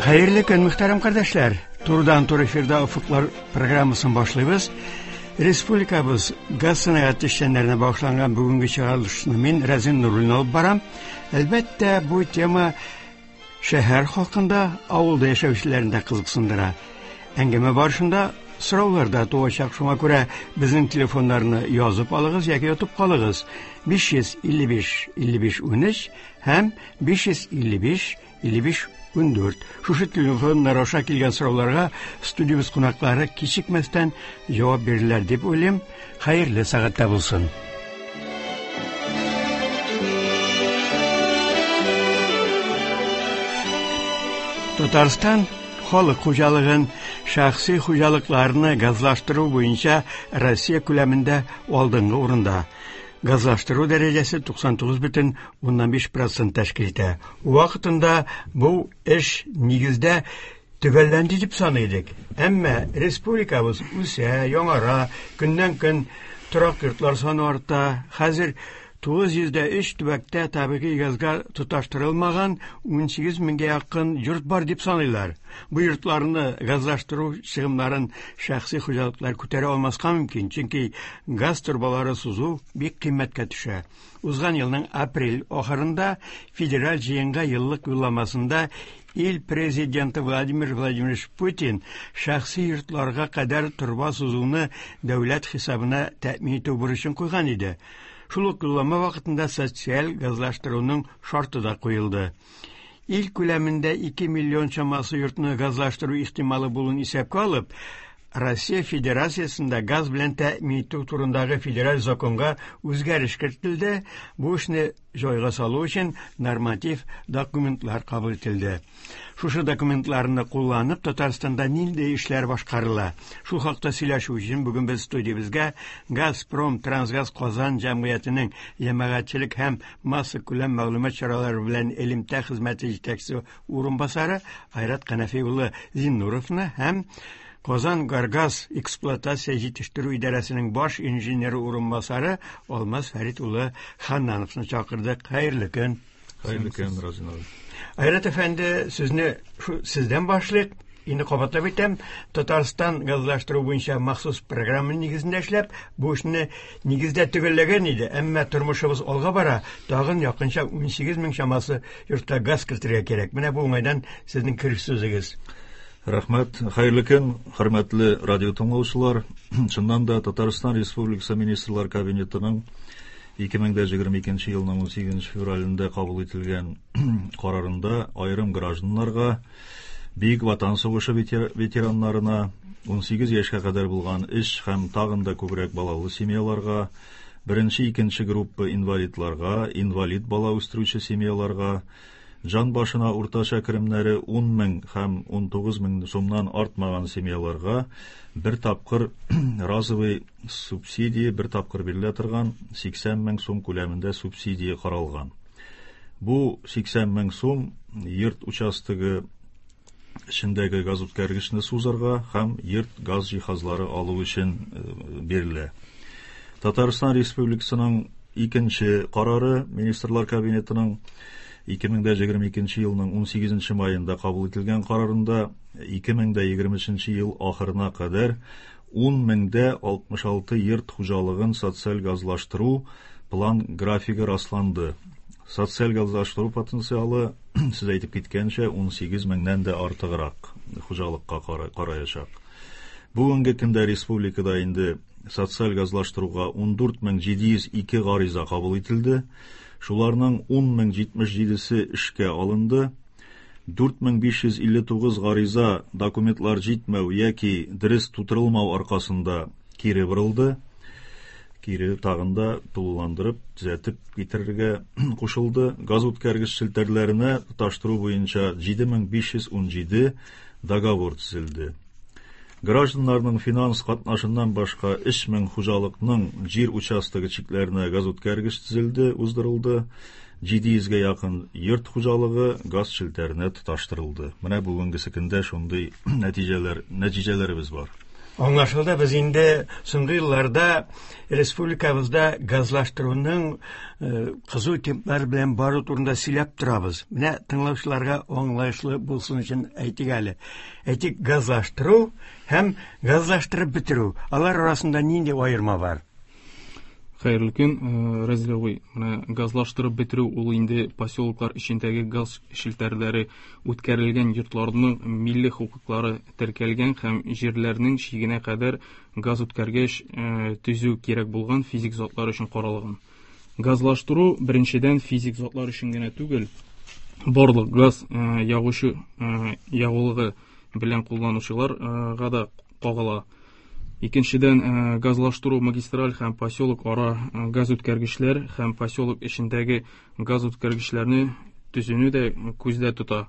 Хәерле көн, мөхтәрәм кардәшләр! Турыдан-туры эфирда Офыклар программасын башлыйбыз. Республикабыз газ сәнәгате эшчәннәренә багышланган бүгенге чыгарылышны мин Рәзин Нуруллин алып барам. Әлбәттә, бу тема шәһәр халкын да, авылда яшәүчеләрне дә кызыксындыра. Әңгәмә барышында сораулар да туачак, шуңа күрә безнең телефоннарны язып алыгыз яки отып калыгыз. 555 55 13 һәм 555 55 14. Шушы телефоннар аша килгән сорауларга студиябез кунаклары кичекмәстән җавап бирерләр дип уйлыйм. Хәерле сәгатьтә булсын. Татарстан халык хуҗалыгын, шәхси хуҗалыкларны газлаштыру буенча Россия күләмендә алдынгы урында. Газлаштыру дәрәҗәсе 99,5% тәшкил итә. Вакытында бу эш нигездә төгәлләнде дип саный идек. Әмма республикабыз үсә, яңара, көннән-көн торак йортлар саны арта. Хәзер 903 төбәктә табигый газга тоташтырылмаган 18 меңгә якын йорт бар дип саныйлар. Бу йортларны газлаштыру чыгымнарын шәхси хуҗалыклар күтәрә алмаска мөмкин, чөнки газ торбалары сузу бик кыйммәткә төшә. Узган елның апрель ахырында федераль җыенга еллык юлламасында ил президенты Владимир Владимирович Путин шәхси йортларга кадәр торба сузуны дәүләт хисабына тәэмин итү бурычын куйган иде. Шул ук юллама вакытында социаль газлаштыруның шарты да куелды. Ил күләмендә 2 миллион чамасы йортны газлаштыру ихтималы булуын исәпкә алып, Россия Федерациясендә газ белән тәэмин итү турындагы федераль законга үзгәреш кертелде. Бу эшне җайга салу өчен норматив документлар кабул ителде. Шушы документларны кулланып, Татарстанда нинди эшләр башкарыла? Шул хакта сөйләшү өчен бүген без студиябезгә Газпром Трансгаз Казан җәмгыятенең җәмәгатьчелек һәм массакүләм мәгълүмат чаралары белән элемтә хезмәте җитәкчесе урынбасары Айрат Канәфи улы Зиннуровны һәм Казан Горгаз эксплуатация җитештерү идарәсенең баш инженеры урынбасары Алмаз Фәрит улы Ханнановны чакырдык. Хәерле көн. Хәерле көн, Разин абый. Айрат әфәнде, сүзне сездән башлыйк. Инде кабатлап әйтәм, Татарстан газлаштыру буенча махсус программа нигезендә эшләп, бу эшне нигездә төгәлләгән иде, әмма тормышыбыз алга бара, тагын якынча 18 мең чамасы йортка газ кертергә кирәк. Менә бу уңайдан сезнең кереш сүзегез. Рәхмәт. Хәерле көн, хөрмәтле радио тыңлаучылар. Чыннан да Татарстан Республикасы Министрлар Кабинетының 2022 елның 18 февралендә кабул ителгән карарында аерым гражданнарга, Бөек Ватан сугышы ветераннарына, 18 яшькә кадәр булган өч һәм тагын да күбрәк балалы семьяларга, беренче, икенче группа инвалидларга, инвалид бала үстерүче семьяларга, җан башына уртача керемнәре 10 мең һәм 19 мең сумнан артмаган семьяларга бер тапкыр разовый субсидия, бер тапкыр бирелә торган 80 мең сум күләмендә субсидия каралган. Бу 80 мең сум йорт участогы эчендәге газ үткәргечне сузарга һәм йорт газ җиһазлары алу өчен бирелә. Татарстан Республикасының икенче карары Министрлар Кабинетының 2022 елның 18 маенда кабул ителгән карарында 2023 ел ахырына кадәр 10 меңдә 66 йорт хуҗалыгын социаль газлаштыру план графигы расланды. Социаль газлаштыру потенциалы, сез әйтеп киткәнчә, 18 меңнән дә артыграк хуҗалыкка караячак. Бүгенге көндә республикада инде социаль газлаштыруга 14 702 гариза кабул ителде. Шуларның 10 077-се эшкә алынды. 4559 гариза документлар җитмәү яки дөрес тутырылмау аркасында кире борылды. Кире тагын да тулыландырып, төзәтеп китерергә кушылды. Газ үткәргеч челтәрләренә тоташтыру буенча 7517 договор төзелде. Гражданнарның финанс катнашыннан башка 3000 хуҗалыкның җир участогы чикләренә газ үткәргеч төзелде, уздырылды. 700гә якын йорт хуҗалыгы газ челтәренә тоташтырылды. Менә бүгенге көндә шундый нәтиҗәләребез бар. Аңлашылды, без инде соңгы елларда республикабызда газлаштыруның кызу темплар белән бару турында сөйләп торабыз. Менә тыңлаучыларга аңлаешлы булсын өчен әйтик әле. Әйтик, газлаштыру һәм газлаштырып бетерү. Алар арасында нинди аерма бар? Хәерле көн, Разил абый. Менә газлаштырып бетерү ул инде поселоклар эчендәге газ челтәрләре үткәрелгән йортларның милли хокуклары теркәлгән һәм җирләрнең чигенә кадәр газ үткәргеч төзү кирәк булган физик затлар өчен каралган. Газлаштыру беренчедән физик затлар өчен генә түгел, барлык газ ягучы ягулыгы белән кулланучыларга да кагыла. Икенчедән, газлаштыру магистраль һәм поселок ара газ үткәргечләр һәм поселок эчендәге газ үткәргечләрне төзүне дә күздә тота.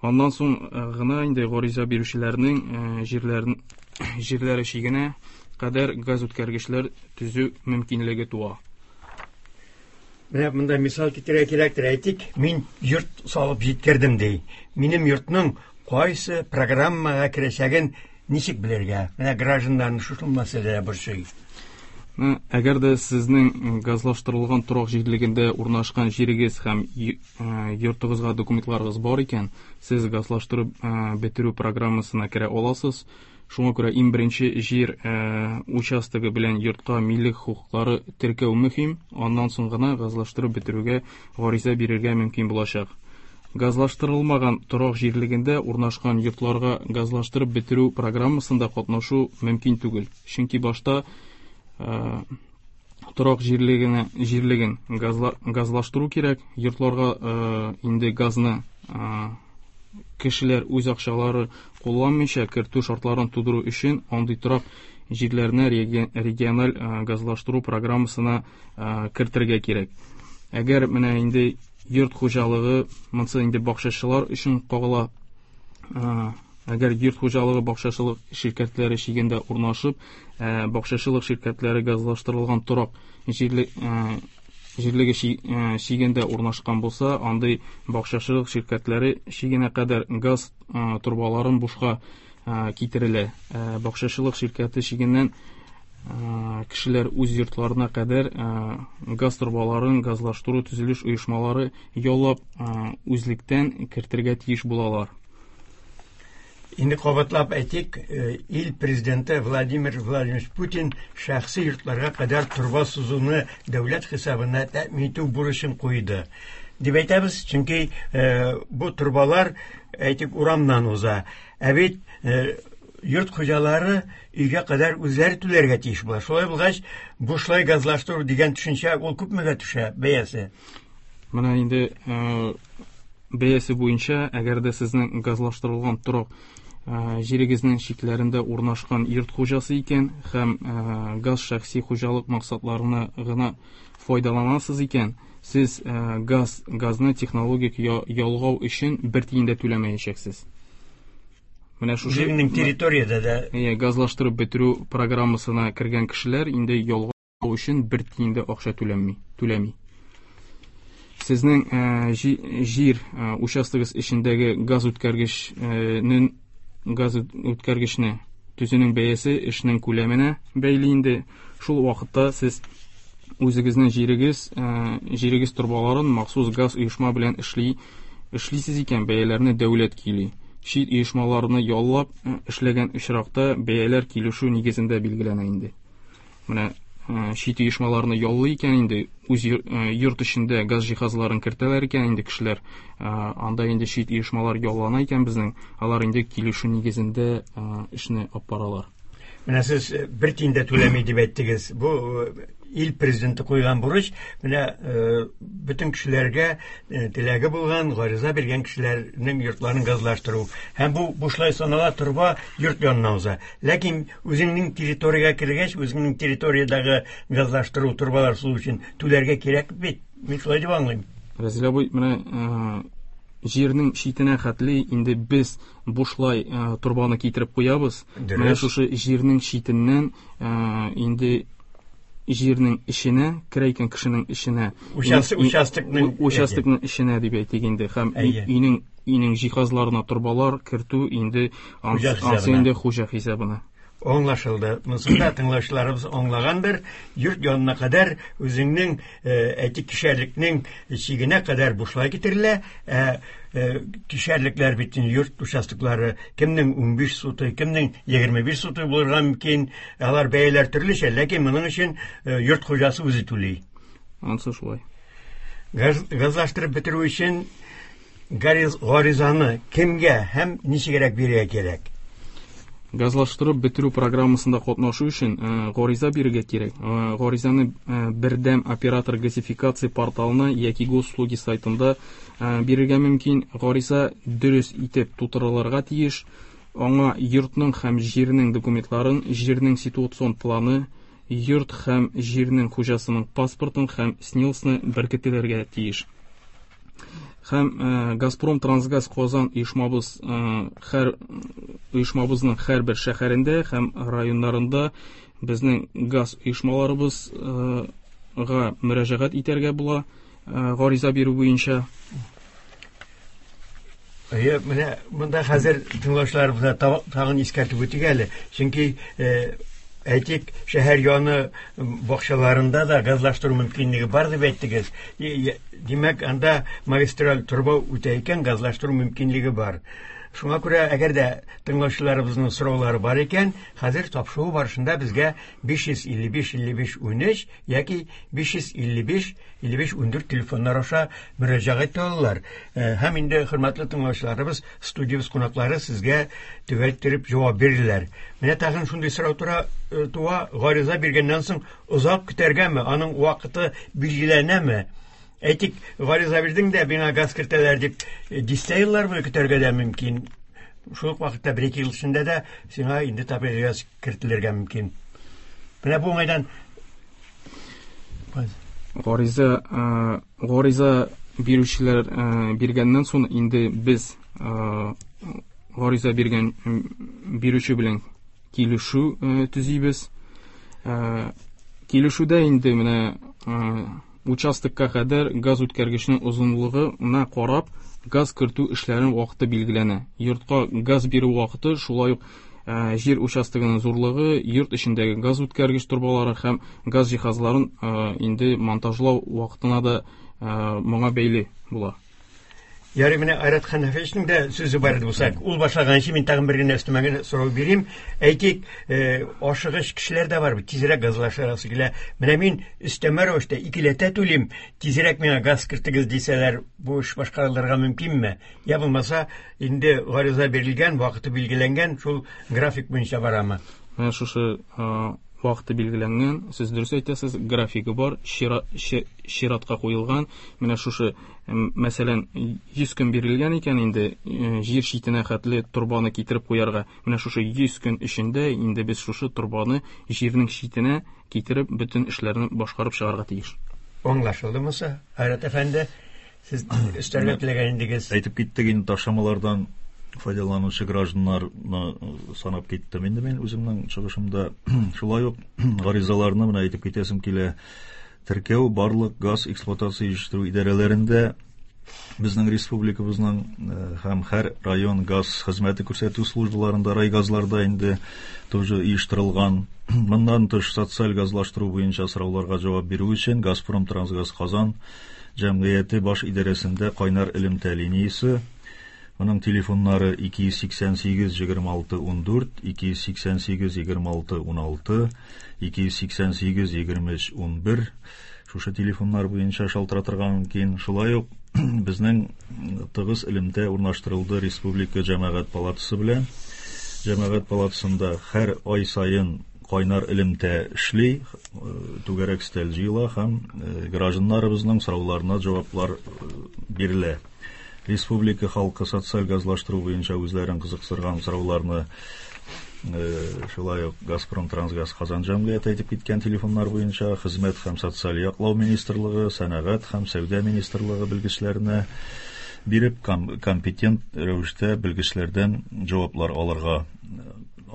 Аннан соң гына инде гариза бирүчеләрнең җирләре чигенә кадәр газ үткәргечләр төзү мөмкинлеге туа. Менә монда мисал китерергә кирәктер. Әйтик, мин йорт салып җиткердем ди. Минем йортның кайсы программага керәчәген ничек белергә? Менә гражданнарны шушы мәсьәлә борчый. Әгәр дә сезнең газлаштырылган торак җирлегендә урнашкан җирегез һәм йортыгызга документларыгыз бар икән, сез газлаштырып бетерү программасына керә аласыз. Шуңа күрә иң беренче җир участогы белән йортка милек хокуклары теркәү мөһим, аннан соң гына газлаштырып бетерүгә гариза бирергә мөмкин булачак. Газлаштырылмаган торак җирлегендә урнашкан йортларга газлаштырып бетерү программасында катнашу мөмкин түгел. Чөнки башта торак җирлеген газлаштыру кирәк, йортларга инде газны кешеләр үз акчалары кулланмыйча кертү шартларын тудыру өчен андый торак җирләрне региональ газлаштыру программасына кертергә кирәк. Әгәр менә инде йорт хуҗалыгы, монысы инде бакчачылар өчен кагыла, әгәр йорт хуҗалыгы бакчачылык ширкәтләре чигендә урнашып, бакчачылык ширкәтләре газлаштырылган торак җирлеге чигендә урнашкан булса, андый бакчачылык ширкәтләре чигенә кадәр газ торбаларын бушка китерелә. Бакчачылык ширкәте чигеннән кешеләр үз йортларына кадәр газ торбаларын газлаштыру төзелеш оешмалары яллап үзлектән кертергә тиеш булалар. Инде кабатлап әйтик, ил президенты Владимир Владимирович Путин шәхси йортларга кадәр торба сузуны дәүләт хисабына тәэмин итү бурычын куйды. Дип әйтәбез, чөнки бу торбалар, әйтик, урамнан уза. Ә бит йорт хуҗалары өйгә кадәр үзләре түләргә тиеш була. Шулай булгач, бушлай газлаштыру дигән төшенчә ул күпмегә төшә бәясе? Менә инде бәясе буенча, әгәр дә сезнең газлаштырылган торак җирегезнең чикләрендә урнашкан йорт хуҗасы икән һәм газ шәхси хуҗалык максатларына гына файдаланасыз икән, сез газны технологик ялгау өчен бер тиен дә түләмәячәксез. Менә шушы Үзеңнең территориядә дә газлаштырып бетерү программасына кергән кешеләр инде ялгау өчен бер тиен дә акча түләми. Сезнең җир участогыз эчендәге газ үткәргечне төзүнең бәясе эшнең күләменә бәйле инде. Шул вакытта сез үзегезнең җирегез торбаларын махсус газ оешма белән эшлисез икән, бәяләрне дәүләт көйли. Чит оешмаларны яллап эшләгән очракта бәяләр килешү нигезендә билгеләнә инде. Менә чит оешмаларны яллый икән инде, үз йорт эчендә газ җиһазларын кертәләр икән инде кешеләр, анда инде чит оешмалар яллана икән безнең, алар инде килешү нигезендә эшне алып баралар. Менә сез бер тиен дә түләми дип әйттегез. Бу ил президенты куйган бурыч, менә бөтен кешеләргә теләге булган, гариза биргән кешеләрнең йортларын газлаштыру. Һәм бу бушлай санала торба йорт янына уза. Ләкин үзеңнең территориягә кергәч, үзеңнең территориядәге газлаштыру торбалар сузу өчен түләргә кирәк бит. Мин шулай дип аңлыйм. Разил абый, менә җирнең читенә хәтле инде без бушлай торбаны китереп куябыз. Менә шушы җирнең читеннән инде җирнең эченә, керә икән кешенең эченә, участокның эченә дип әйтик инде, һәм өйнең җиһазларына торбалар кертү инде ансы инде хуҗа хисабына. Аңлашылды. Монысын да тыңлаучыларыбыз аңлагандыр. Йорт янына кадәр үзеңнең, әйтик, кишәрлекнең чигенә кадәр бушлай китерелә. Ә кишәрлекләр бит инде йорт участоклары кемнең 15 сутый, кемнең 25 сутый булырга мөмкин. Алар бәяләр төрлечә, ләкин моның өчен йорт хуҗасы үзе түли. Ансы шулай. Газлаштырып бетерү өчен гаризаны кемгә һәм ничегрәк бирергә кирәк? Газлаштырып бетерү программасында катнашу өчен гариза бирергә кирәк. Гаризаны бердәм оператор газификация порталына яки госуслуги сайтында бирергә мөмкин. Гариза дөрес итеп тутырылырга тиеш. Аңа йортның һәм җирнең документларын, җирнең ситуацион планы, йорт һәм җирнең хуҗасының паспортын һәм СНИЛСны беркетелергә тиеш. Һәм Газпром Трансгаз Казан оешмабызның һәрбер шәһәрендә һәм районнарында безнең газ оешмаларыбызга мөрәҗәгать итәргә була гариза бирү буенча. Әйе, менә монда хәзер тыңлаучыларыбызга тагын искәртеп үтик әле. Чөнки әйтик, шәһәр яны бакчаларында да газлаштыру мөмкинлеге бар дип әйттегез. Димәк, анда магистраль торба үтә икән, газлаштыру мөмкинлеге бар. Шуңа күрә, әгәр дә тыңлаучыларыбызның сораулары бар икән, хәзер тапшыру барышында безгә 555 55 13 яки 555 55 14 телефоннар аша мөрәҗәгать итә алалар. Һәм инде хөрмәтле тыңлаучыларыбыз, студиябез кунаклары сезгә төгәл иттереп җавап бирделәр. Менә тагын шундый сорау туа, гариза биргәннән соң озак көтәргәме, аның вакыты билгеләнәме? Әйтик, гариза бирдең дә, миңа газ кертәләр дип, дистә еллар буе көтәргә дә мөмкин. Шул ук вакытта бер-ике ел эчендә дә сиңа инде табигый газ кертелергә мөмкин. Менә бу уңайдан Гариза бирүчеләр биргәннән соң инде без гариза биргән бирүче белән килешү төзибез. Килешүдә инде менә участокка кадәр газ үткәргечнең озынлыгына карап газ кертү эшләренең вакыты билгеләнә. Йортка газ бирү вакыты шулай ук җир участогының зурлыгы, йорт эчендәге газ үткәргеч торбалары һәм газ җиһазларын инде монтажлау вакытына да моңа бәйле була. Ярый, менә Айрат Хәнәфовичның да сүзе бар иде булса, ул башлаганчы мин тагын бер генә өстемә генә сорау бирим. Әйтик, ашыгыч кешеләр дә бар бит, тизрәк газлашасы килә. Менә мин өстәмә рәвештә икеләтә түлим, тизрәк миңа газ кертегез дисәләр, бу эш башкарылырга мөмкинме? Я булмаса, инде гариза бирелгән, вакыты билгеләнгән, шул график буенча барамы? Менә шушы вакыты билгеләнгән, сез дөрес әйтәсез, графигы бар, чиратка куелган. Менә шушы, мәсәлән, 100 көн бирелгән икән инде, җир читенә хәтле торбаны китереп куярга. Менә шушы 100 көн эчендә инде без шушы торбаны җирнең читенә китереп, бөтен эшләрне башкарып чыгарга тиеш. Аңлашылды Муса, Айрат әфәнде, сез өстәргә теләгән идегез. Әйтеп киттек инде, ташламалардан файдаланучы гражданнарны санап киттем инде мин үземнең чыгышымда. Шулай ук гаризаларны менә әйтеп китәсем килә. Теркәү барлык газ эксплуатация җитештерү идарәләрендә безнең республикабызның һәм һәр район газ хезмәте күрсәтү службаларында, райгазларда инде тоже оештырылган. Моннан тыш социаль газлаштыру буенча сорауларга җавап бирү өчен Газпром Трансгаз Казан җәмгыяте баш идарәсендә кайнар элемтә линиясе, моның телефоннары 288 26 14, 288 26 16, 288 23 11. Шушы телефоннар буенча шалтыратырга мөмкин. Шулай ук безнең тыгыз элемтә урнаштырылды Республика Җәмәгать палатасы белән. Җәмәгать палатасында һәр ай саен кайнар элемтә эшли, түгәрәк өстәл җыела һәм гражданнарыбызның сорауларына җаваплар бирелә. Республика халкы социаль газлаштыру буенча үзләрен кызыксырган сорауларны шулай ук Газпром Трансгаз Казан җәмгыяте әйтеп киткән телефоннар буенча Хезмәт һәм социаль яклау министрлыгы, Сәнәгать һәм сәүдә министрлыгы белгечләренә биреп компетент рәвештә белгечләрдән җаваплар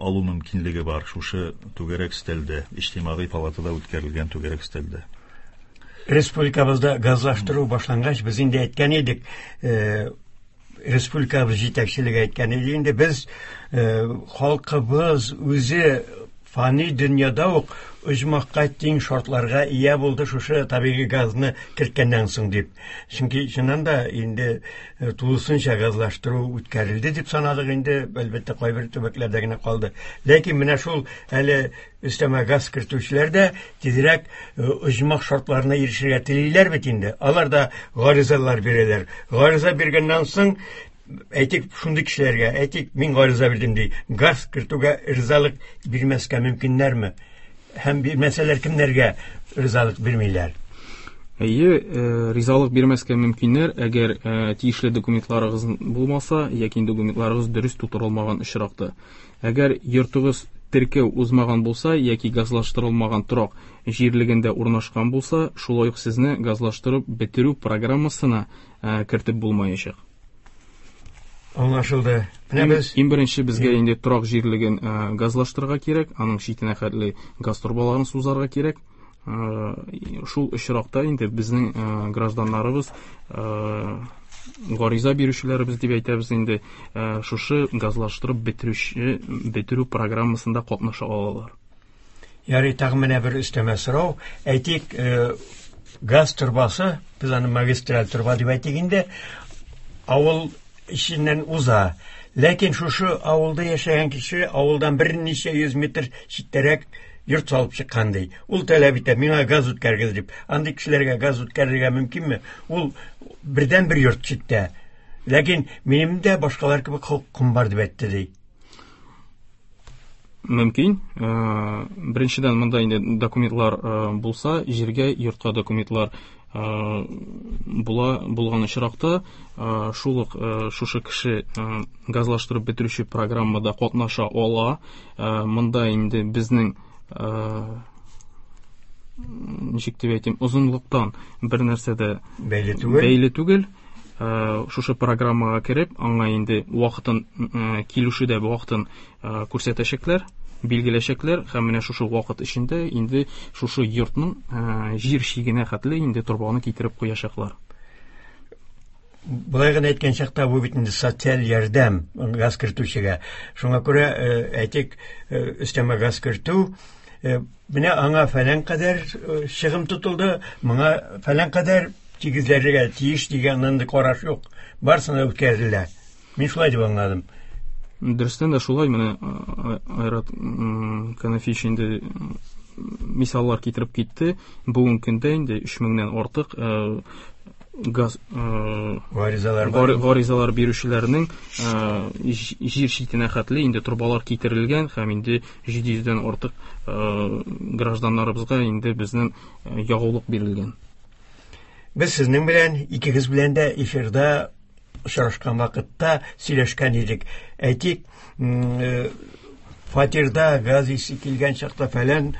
алу мөмкинлеге бар шушы түгәрәк өстәлдә, иҗтимагый палатада үткәрелгән түгәрәк өстәлдә. Республикабызда газлаштыру башлангач, без инде әйткән идек, Республикабыз җитәкчелеге әйткән иде инде, без халкыбыз үзе фани дөньяда ук оҗмахка тиң шартларга ия булды шушы табигый газны керткәннән соң дип. Чөнки чыннан да инде тулысынча газлаштыру үткәрелде дип санадык инде, әлбәттә, кайбер төбәкләрдә генә калды. Ләкин менә шул әле өстәмә газ кертүчеләр дә тизрәк оҗмах шартларына ирешергә телиләр бит инде. Алар да гаризалар бирәләр. Гариза биргәннән соң, әйтик, шундый кешеләргә, әйтик, мин гариза бирдем ди, газ кертүгә ризалык бирмәскә мөмкиннәрме? Һәм бирмәсәләр, кемнәргә ризалык бирмиләр? Әйе, ризалык бирмәскә мөмкиннәр, әгәр тиешле документларыгыз булмаса, яки документларыгыз дөрес тутырылмаган очракта. Әгәр йортыгыз теркәү узмаган булса яки газлаштырылмаган торак җирлегендә урнашкан булса, шулай ук сезне газлаштырып бетерү программасына кертеп булмаячак. Аңлашылды. Менә без Иң беренче безгә инде торак җирлеген газлаштырырга кирәк, аның читенә хәтле газ торбаларын сузарга кирәк. Шул очракта инде безнең гражданнарыбыз, гариза бирүчеләребез дип әйтәбез инде, шушы газлаштырып бетерү программасында катнаша алалар. Ярый, тагын менә бер өстәмә сорау. Әйтик, газ торбасы, без аны магистраль торба дип әйтик инде, авыл эченнән уза. Ләкин шушы авылда яшәгән кеше авылдан берничә йөз метр читтәрәк йорт салып чыккан ди. Ул таләп итә, миңа газ үткәргез дип. Андый кешеләргә газ үткәрергә мөмкинме? Ул бердән бер йорт читтә. Ләкин минем дә башкалар кебек хокукым бар дип әйтте ди. Мөмкин. Беренчедән, монда инде документлар булса, җиргә, йортка документлар була булган очракта, шул ук шушы кеше газлаштырып бетерүче программада катнаша ала. Монда инде безнең, ничек дип әйтим, озынлыктан бер нәрсә дә бәйле түгел. Бәйле түгел. Шушы программага кереп, аңа инде вакытын, килүче дә вакытын күрсәтәчәкләр, билгеләчәкләр һәм менә шушы вакыт эчендә инде шушы йортның җир чигенә хәтле инде торбаны китереп куячаклар. Болай гына әйткән чакта бу бит инде социаль ярдәм газ кертүчегә. Шуңа күрә, әйтик, өстәмә газ кертү, менә аңа фәлән кадәр чыгым тотылды, моңа фәлән кадәр тигезләргә тиеш дигән андый караш юк. Барысына үткәрелә. Мин шулай дип аңладым. Дөрестән дә шулай, менә Айрат Канафич инде мисаллар китереп китте. Бүгенге көндә инде өч меңнән артык газ гаризалар бар. Гаризалар бирүчеләрнең җир читенә хәтле инде торбалар китерелгән һәм инде җиде йөздән артык гражданнарыбызга инде безнең ягулык бирелгән. Без сезнең белән, икегез белән дә эфирда очрашкан вакытта сөйләшкән идек. Әйтик, фатирда газ исе килгән чакта фәлән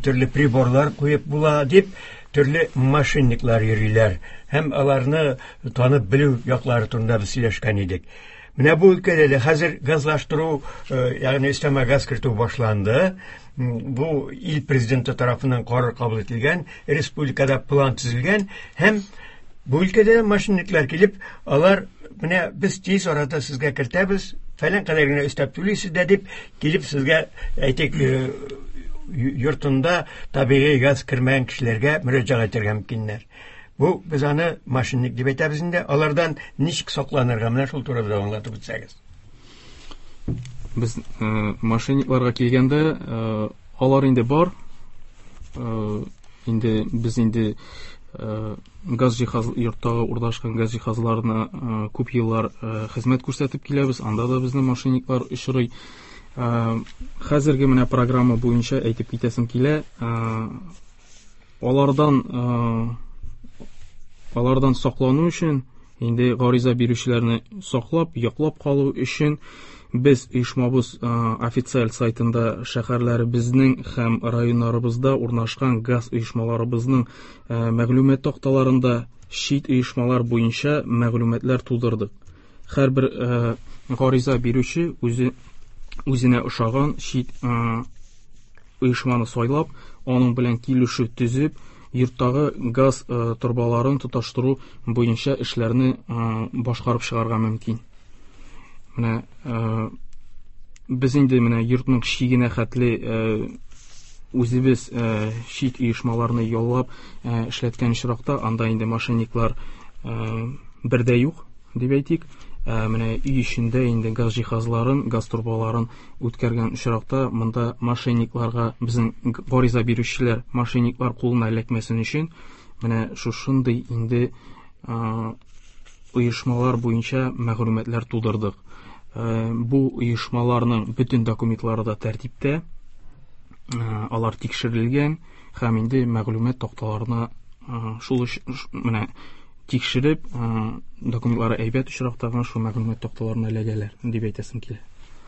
төрле приборлар куеп була дип, төрле мошенниклар йөриләр. Һәм аларны танып белү яклары турында без сөйләшкән идек. Менә бу өлкәдә дә хәзер газлаштыру, ягъни өстәмә газ кертү башланды. Бу ил президенты тарафыннан карар кабул ителгән, республикада план төзелгән һәм бу өлкәдә мошенниклар килеп, алар менә без тиз арада сезгә кертәбез, фәлән кадәр генә өстәп түлисез дә дип килеп сезгә, әйтик, йортында табигый газ кермәгән кешеләргә мөрәҗәгать итәргә мөмкиннәр. Бу без аны мошенник дип әйтәбез инде. Алардан ничек сакланырга, менә шул турыда аңлатып үтсәгез. Без мошенникларга килгәндә, алар инде бар. Инде без инде газ җиһаз, йорттагы урнашкан газ җиһазларына күп еллар хезмәт күрсәтеп киләбез. Анда да безнең мошенниклар очрый. Хәзерге менә программа буенча әйтеп китәсем килә. Алардан саклану өчен, инде гариза бирүчеләрне саклап, яклап калу өчен без оешмабыз официаль сайтында шәһәрләребезнең һәм районнарыбызда урнашкан газ оешмаларыбызның мәгълүмат такталарында чит оешмалар буенча мәгълүматлар тудырдык. Һәрбер гариза бирүче үзенә ошаган чит оешманы сайлап, аның белән килешү төзеп, йорттагы газ торбаларын тоташтыру буенча эшләрне башкарып чыгарга мөмкин. Менә без инде менә йортның чигенә хәтле үзебез чит оешмаларны яллап эшләткән очракта анда инде мошенниклар бер дә юк дип әйтик. Менә өй эчендә инде газ җиһазларын, газ торбаларын үткәргән очракта монда мошенникларга безнең гариза бирүчеләр мошенниклар кулына эләкмәсен өчен менә шушындый инде оешмалар буенча мәгълүматлар тудырдык. Бу оешмаларның бөтен документлары да тәртиптә, алар тикшерелгән һәм инде мәгълүмат такталарына шул менә тикшереп, документлары әйбәт очракта гына шул мәгълүмат такталарына эләгәләр дип әйтәсем килә.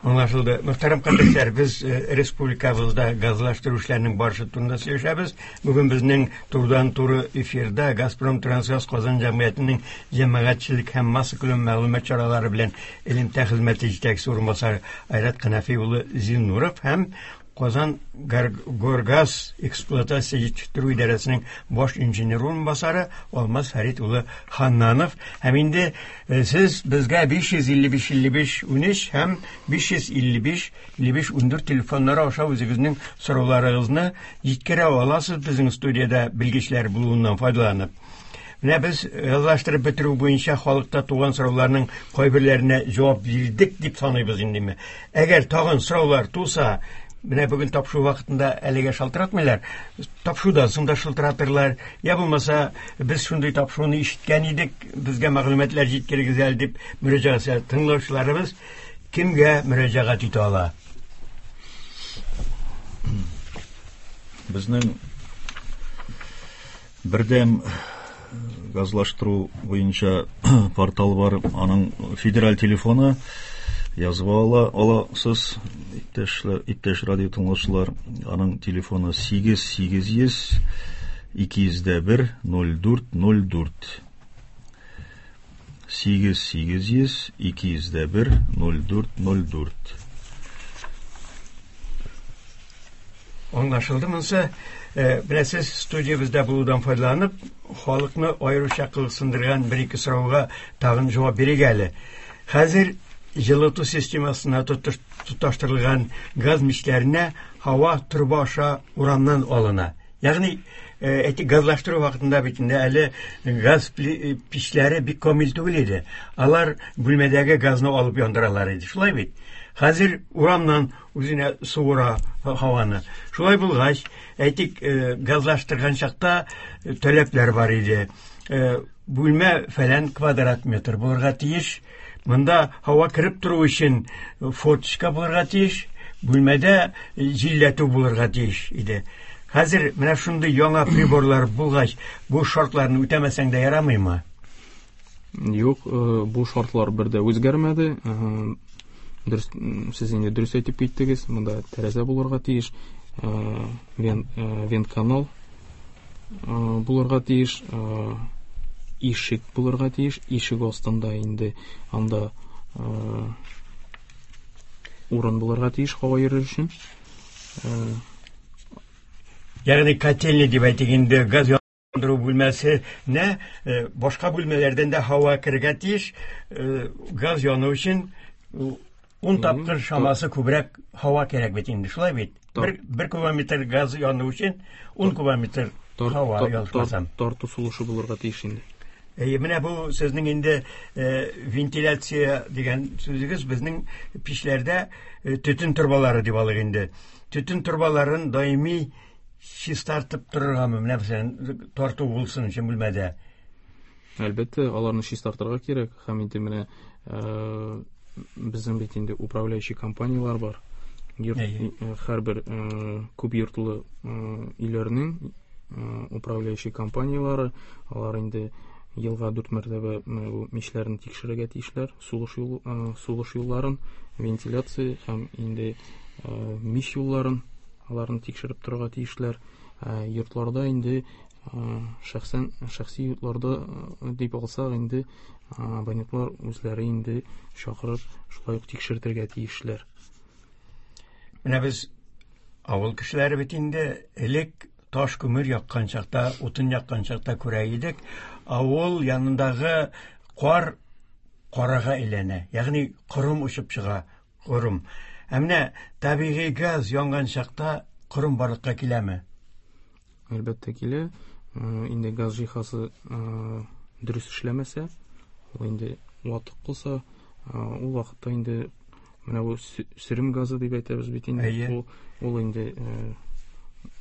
Аңлашылды. Мөхтәрәм кардәшләр, без республикабызда газлаштыру эшләренең барышы турында сөйләшәбез. Бүген безнең турыдан-туры эфирда Газпром Трансгаз Казан җәмгыятенең җәмәгатьчелек һәм массакүләм мәгълүмат чаралары белән элемтә хезмәте җитәкчесе урынбасары Айрат Канәфи улы Зиннуров һәм Казан Горгаз эксплуатация җитештерү идарәсенең баш инженер урынбасары Алмаз Фәрит улы Ханнанов. Һәм инде сез безгә 555 55 13 һәм 555 55 14 телефоннары аша үзегезнең сорауларыгызны җиткерә аласыз безнең студиядә белгечләр булуыннан файдаланып. Менә без газлаштырып бетерү буенча халыкта туган сорауларның кайберләренә җавап бирдек дип саныйбыз индеме. Әгәр тагын сораулар туса, менә бүген тапшыру вакытында әлегә шалтыратмыйлар, тапшырудан соң да шалтыратырлар, я булмаса, без шундый тапшыруны ишеткән идек, безгә мәгълүматлар җиткерегез әле дип мөрәҗәгать итә. Тыңлаучыларыбыз кемгә мөрәҗәгать итә ала? Безнең бердәм газлаштыру буенча портал бар, аның федераль телефоны язып ала аласыз, иптәшләр, иптәш радио тыңлаучылар, аның телефоны 8 800 201 04 04. 8 800 201 04 04. Аңлашылды монысы. Беләсез, студиябездә булудан файдаланып, халыкны аеруча кызыксындырган бер-ике сорауга тагын җавап бирик әле. Хәзер җылыту системасына тоташтырылган газ мичләренә һава торба аша урамнан алына. Ягъни, әйтик, газлаштыру вакытында бит инде әле газ пичләре бик камил түгел иде. Алар бүлмәдәге газны алып яндыралар иде. Шулай бит? Хәзер урамнан үзенә суыра һаваны. Шулай булгач, әйтик, газлаштырган чакта таләпләр бар иде. Бүлмә фәлән квадрат метр булырга тиеш. Монда һава кереп тору өчен форточка булырга тиеш. Бүлмәдә җилләтү булырга тиеш иде. Хәзер менә шундый яңа приборлар булгач, бу шартларны үтәмәсәң дә ярамыймы? Юк, бу шартлар бер дә үзгәрмәде. Дөрес, сез инде дөрес әйтеп киттегез, монда тәрәзә булырга тиеш, вентканал булырга тиеш, ишек булырга тиеш, ишек астында инде анда урын булырга тиеш һава йөрер өчен. Ягъни котельный дип әйтик инде, газ яндыру бүлмәсенә башка бүлмәләрдән дә һава керергә тиеш, газ яну өчен 10 тапкыр чамасы күбрәк һава кирәк бит инде, шулай бит? Бер кубометр газ яну өчен 10 кубометр һава ялгышмасам. Тарту сулышы булырга тиеш инде. Әйе, менә бу сезнең инде вентиляция дигән сүзегез безнең пичләрдә төтен торбалары дип алыйк инде. Төтен торбаларын даими чистартып торыргамы, менә мәсәлән, тарту булсын өчен бүлмәдә? Әлбәттә, аларны чистартырга кирәк. Һәм инде менә безнең бит инде управляющий компанияләр бар. Һәрбер күп йортлы өйләрнең управляющий компанияләре, алар инде елга 4 мәртәбә бу мичләрне тикшерергә тиешләр, сулыш юлларын, вентиляция һәм инде мич юлларын аларны тикшереп торырга тиешләр. Йортларда инде шәхсән, шәхси йортларда дип алсак инде, абонентлар үзләре инде чакырып шулай ук тикшертергә тиешләр. Менә без авыл кешеләре бит инде элек таш күмер яккан чакта, утын яккан чакта күрә идек, авыл янындагы кар карага әйләнә, ягъни корым очып чыга, корым. Ә менә табигый газ янган чакта корым барлыкка киләме? Әлбәттә килә. Инде газ җиһазы дөрес эшләмәсә, ул инде ватык булса, ул вакытта инде менә бу сөрем газы дип әйтәбез бит инде. Ул инде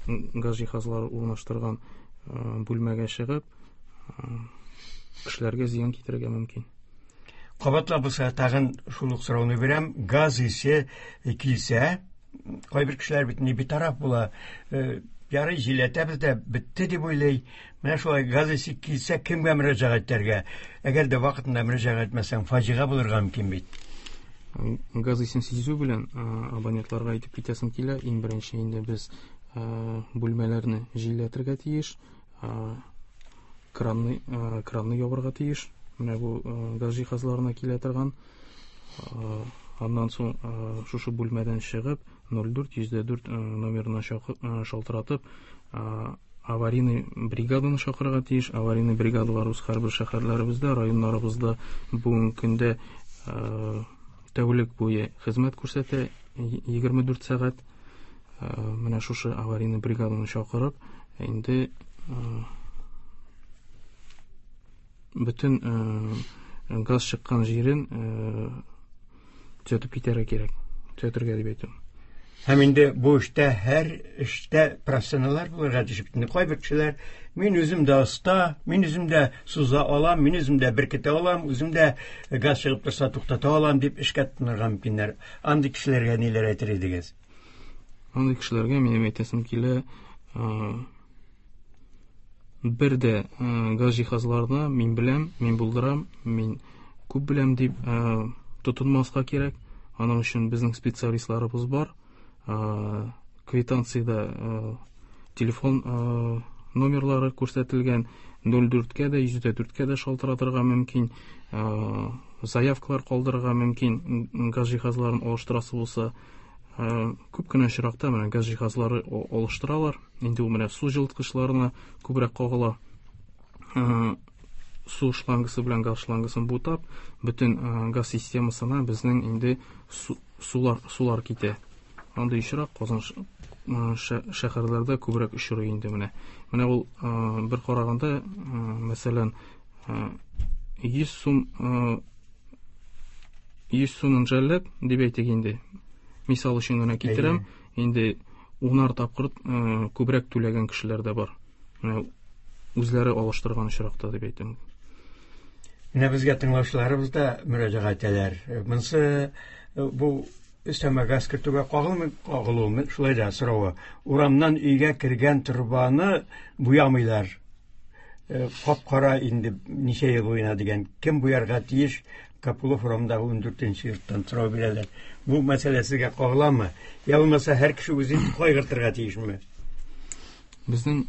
газ җиһазлары урнаштырган бүлмәгә чыгып, кешеләргә зыян китерергә мөмкин. Кабатлап булса, тагын шул ук сорауны бирәм. Газ исе килсә, кайбер кешеләр бит не битараф була, ярый җилләтәбез дә бетте дип уйлый. Менә шулай газ исе килсә, кемгә мөрәҗәгать итәргә? Әгәр дә вакытында мөрәҗәгать итмәсәң, фаҗига булырга мөмкин бит. Газ исен сизү белән абонентларга әйтеп китәсем килә. Иң беренче инде без бүлмәләрне җилләтергә тиеш, кранны ябырга тиеш. Менә бу газ җиһазларына килә торган. Аннан соң шушы бүлмәдән чыгып, ноль дүрт йөз дә дүрт номерына шалтыратып, аварийный бригаданы чакырырга тиеш. Аварийный бригадалар үз һәрбер шәһәрләребездә, районнарыбызда бүгенге көндә тәүлек буе хезмәт күрсәтә, 24 сәгать. Менә шушы аварийный бригаданы чакырып, инде бөтен газ чыккан җирен төзәтеп китәргә кирәк. Төзәтергә дип әйтәм. Һәм инде бу эштә һәр эштә профессионаллар булырга тиеш. Инде кайбер кешеләр, мин үзем дә оста, мин үзем дә суза алам, мин үзем дә беркетә алам, үзем дә газ чыгып торса туктата алам дип эшкә тотынырга мөмкиннәр. Андый кешеләргә ниләр әйтер идегез? Андый кешеләргә минем әйтәсем килә, бер дә газ җиһазларына мин беләм, мин булдырам, мин күп беләм дип тотынмаска кирәк. Аның өчен безнең специалистларыбыз бар. Квитанциядә телефон номерлары күрсәтелгән, ноль дүрткә дә, йөз дә дүрткә дә шалтыратырга мөмкин, заявкалар калдырырга мөмкин, газ җиһазларын алыштырасы булса. Күп кенә очракта менә газ җиһазлары алыштыралар. Инде ул менә су җылыткычларына күбрәк кагыла. Су шлангысы белән газ шлангысын бутап, бөтен газ системасына безнең инде сулар китә. Андый очрак Казан шәһәрләрдә күбрәк очрый инде менә. Менә ул бер караганда, мәсәлән, 100 сум, 100 сумын жәлләп дип әйтик инде. Мисал өчен генә китерәм. Инде унар тапкыр күбрәк түләгән кешеләр дә бар. Менә үзләре алыштырган очракта дип әйтәм. Менә безгә тыңлаучыларыбыз да мөрәҗәгать итәләр. Монысы бу өстәмә газ кертүгә кагылмый, кагылуы, шулай да соравы. Урамнан өйгә кергән торбаны буямыйлар. Кап-кара инде ничә ел буена дигән. Кем буярга тиеш? Капулов урамындагы ундүртенче йорттан сорау бирәләр. Бу мәсьәлә сезгә кагыламы? Я булмаса һәр кеше үзе кайгыртырга тиешме? Безнең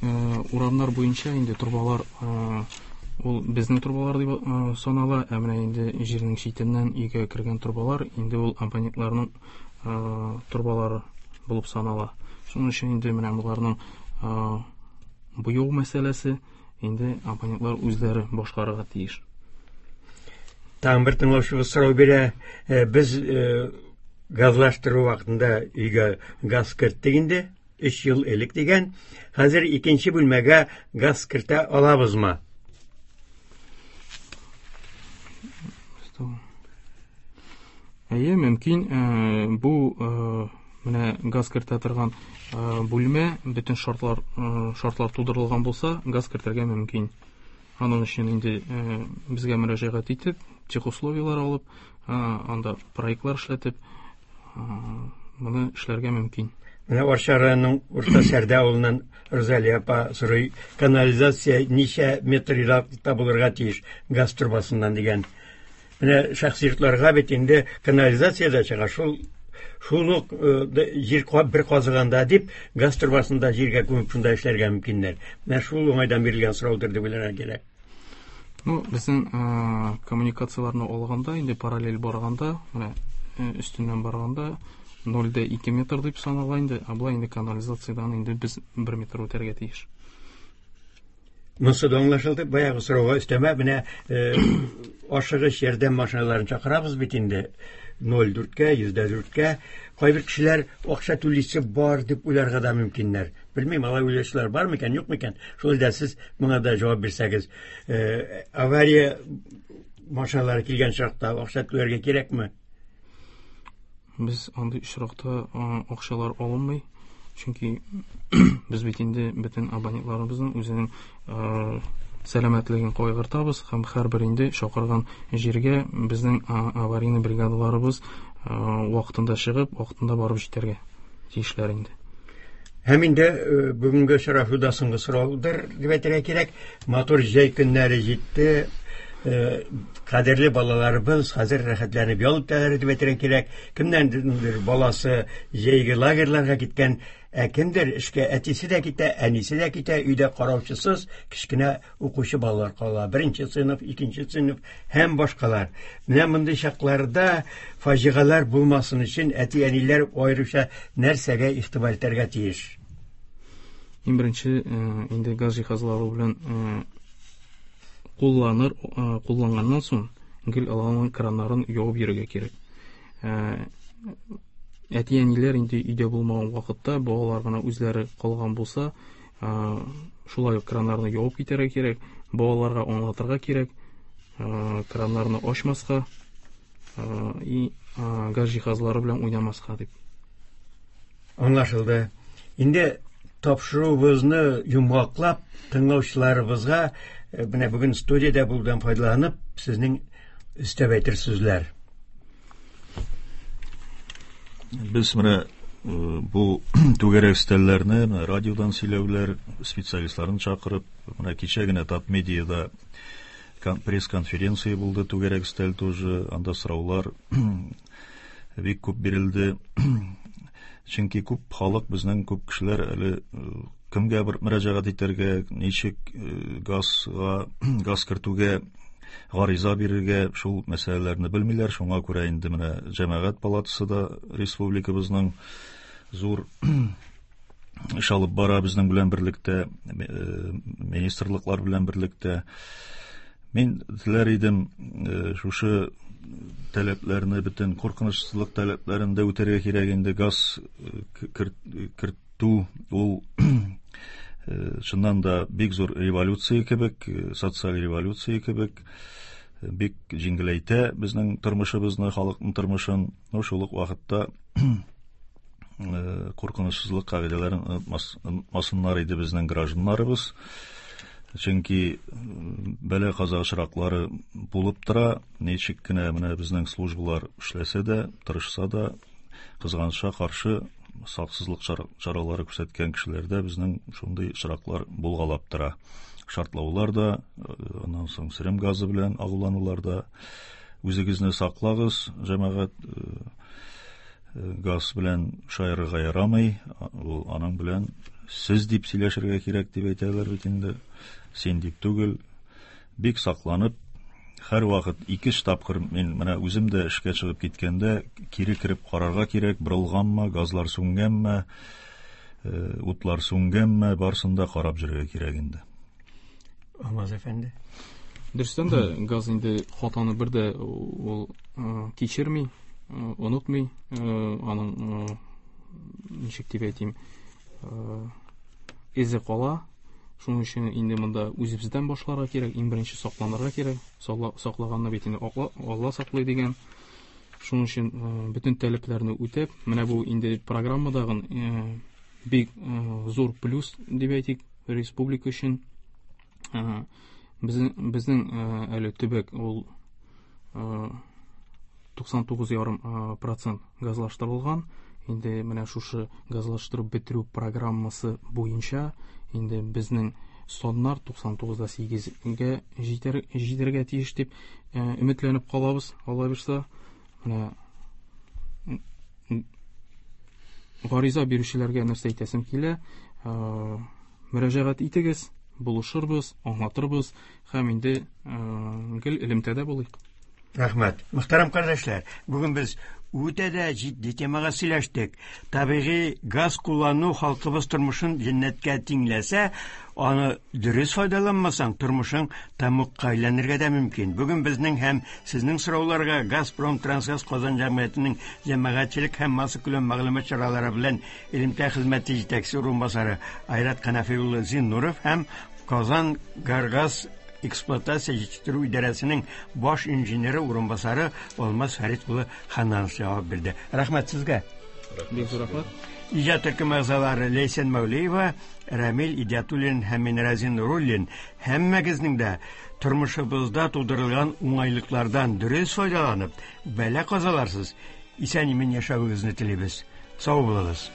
урамнар буенча инде торбалар, ул безнең торбалар дип санала, ә менә инде җирнең читеннән өйгә кергән торбалар инде ул абонентларның торбалары булып санала. Шуның өчен инде менә боларның буяу мәсьәләсе инде абонентлар үзләре башкарырга тиеш. Тагын бер тыңлаучыбыз сорау бирә. Без газлаштыру вакытында өйгә газ керттек инде, 3 ел элек дигән. Хәзер икенче бүлмәгә газ кертә алабызмы? Әйе, мөмкин. Бу менә газ кертә торган бүлмә, бөтен шартлар тудырылган булса, газ кертергә мөмкин. Аның өчен инде безгә мөрәҗәгать итеп, техусловияләр алып, анда проектлар эшләтеп, моны эшләргә мөмкин. Менә Арча районының Урта Сәрдә авылыннан Розалия апа сорый, канализация ничә метр ераклыкта булырга тиеш газ торбасыннан дигән. Менә шәхси йортларга бит инде канализация дә чыга, шул ук җир бер казыганда дип газ торбасында җиргә күмеп шунда эшләргә мөмкиннәр. Менә шул уңайдан бирелгән сораудыр дип уйларга кирәк. Безнең коммуникацияләрне алганда, инде параллель барганда, менә өстеннән барганда 0,2 метр дип санала инде, ә болай инде канализациядән инде без 1 метр үтәргә тиеш. Монысы да аңлашылды. Баягы сорауга өстәмә менә ашыгыч ярдәм машиналарын чакырабыз бит инде 0,4-кә, 104-кә. Кайбер кешеләр акча түлисе бар дип уйларга да мөмкиннәр. Белмим, алай уйлаучылар бар микән, юк микән? Шулай да сез моңа да җавап бирсәгез. Авария машиналары килгән чакта акча түләргә кирәкме? Без андый очракта акчалар алынмый. Чөнки без бит инде бөтен абонентларыбызның үзенең сәламәтлеген кайгыртабыз һәм һәрбер инде чакырган җиргә безнең аварийный бригадаларыбыз вакытында чыгып, вакытында барып җитәргә тиешләр инде. Һәм инде бүгенге очрашуда соңгы сораудыр дип әйтергә кирәк. Матур җәй көннәре җитте. Кадерле балаларыбыз хәзер рәхәтләнеп ял итәләр дип әйтергә кирәк. Кемнәндер баласы җәйге лагерьларга киткән, ә кемдер эшкә әтисе дә китә, әнисе дә китә, өйдә караучысыз кечкенә укучы балалар кала. Беренче сыйныф, икенче сыйныф һәм башкалар. Менә мондый чакларда фаҗигаләр булмасын өчен әти-әниләр аеруча нәрсәгә игътибар итәргә тиеш? Иң беренче инде газ җиһазлары белән кулланганнан соң гел аларның краннарын ябып йөрергә кирәк. Әти-әниләр инде өйдә булмаган вакытта балалар гына үзләре калган булса, шулай ук краннарны ябып китәргә кирәк, балаларга аңлатырга кирәк, краннарны ачмаска и газ җиһазлары белән уйнамаска дип. Аңлашылды. Инде тапшыруыбызны йомгаклап, тыңлаучыларыбызга менә бүген студиядә булудан файдаланып, сезнең өстәп әйтер сүзләр. Без менә бу түгәрәк өстәлләрне, менә радиодан сөйләүләр, специалистларын чакырып, менә кичә генә Татмедиада пресс-конференция булды, түгәрәк өстәл тоже, анда сораулар бик күп бирелде. Чөнки күп халык, безнең күп кешеләр әле кемгә бер мөрәҗәгать итәргә, ничек газга, газ кертүгә гариза бирергә, шул мәсьәләләрне белмиләр. Шуңа күрә инде менә Җәмәгать палатасы да республикабызның зур эш алып бара безнең белән берлектә, министрлыклар белән берлектә. Мин теләр идем, шушы таләпләрне, бөтен куркынычсызлык таләпләрен дә үтәргә кирәк инде. Газ кертү ул чыннан да бик зур революция кебек, социаль революция кебек, бик җиңеләйтә безнең тормышыбызны, халыкның тормышын. Но шул ук вакытта куркынычсызлык кагыйдәләрен онытмасыннар иде безнең гражданнарыбыз. Чөнки бәла каза очраклары булып тора. Ничек кенә менә безнең службалар эшләсә дә, тырышса да, кызганычка каршы саксызлык чаралары күрсәткән кешеләрдә безнең шундый очраклар булгалап тора. Шартлаулар да, аннан соң сөрем газы белән агуланулар да. Үзегезне саклагыз, җәмәгать, газ белән шаярырга ярамый, ул аның белән сез дип сөйләшергә кирәк дип әйтәләр бит инде, син дип түгел. Бик сакланып, һәр вакыт ике-өч тапкыр мин менә үзем дә эшкә чыгып киткәндә кире кереп карарга кирәк, борылганмы, газлар сүнгәнме, утлар сүнгәнме, барысын да карап йөрергә кирәк инде. Алмаз әфәнде. Дөрестән дә газ инде хатаны бер дә ул кичерми, онытмый, аның ничек дип әйтим, эзе кала. Шуның өчен инде монда үзебездән башларга кирәк, иң беренче сакланырга кирәк. Саклаганны бит инде Алла саклый дигән. Шуның өчен бөтен таләпләрне үтәп, менә бу инде программадагы бик зур плюс дип әйтик республика өчен. Безнең әле төбәк ул туксан тугыз ярым процент газлаштырылган. Инде менә шушы газлаштырып бетерү программасы буенча инде безнең саннар туксан тугызда сигезгә җитәргә тиеш дип өметләнеп калабыз, Алла бирса. Менә гариза бирүчеләргә нәрсә әйтәсем килә? Мөрәҗәгать итегез, булышырбыз, аңлатырбыз һәм инде гел элемтәдә булыйк. Рәхмәт. Мөхтәрәм кардәшләр, бүген без үтә дә җитди темага сөйләштек. Табигый газ куллану халкыбыз тормышын җәннәткә тиңләсә, аны дөрес файдаланмасаң, тормышың тәмугка әйләнергә дә мөмкин. Бүген безнең һәм сезнең сорауларга Газпром Трансгаз Казан җәмгыятенең җәмәгатьчелек һәм массакүләм мәгълүмат чаралары белән элемтә хезмәте җитәкчесе урынбасары Айрат Канәфи улы Зиннуров һәм Казан Горгаз эксплуатация җитештерү идарәсенең баш инженеры урынбасары Алмаз Фәрит улы Хананов җавап бирде. Рәхмәт сезгә. Бик зур рәхмәт. Иҗат төркеме әгъзалары Ләйсән Мәүлиева, Рәмил Идиатуллин һәм мин Разин Нуруллин һәммәгезнең дә тормышыбызда тудырылган уңайлыклардан дөрес файдаланып, бәла-казаларсыз исән-имин яшәвегезне телибез. Сау булыгыз.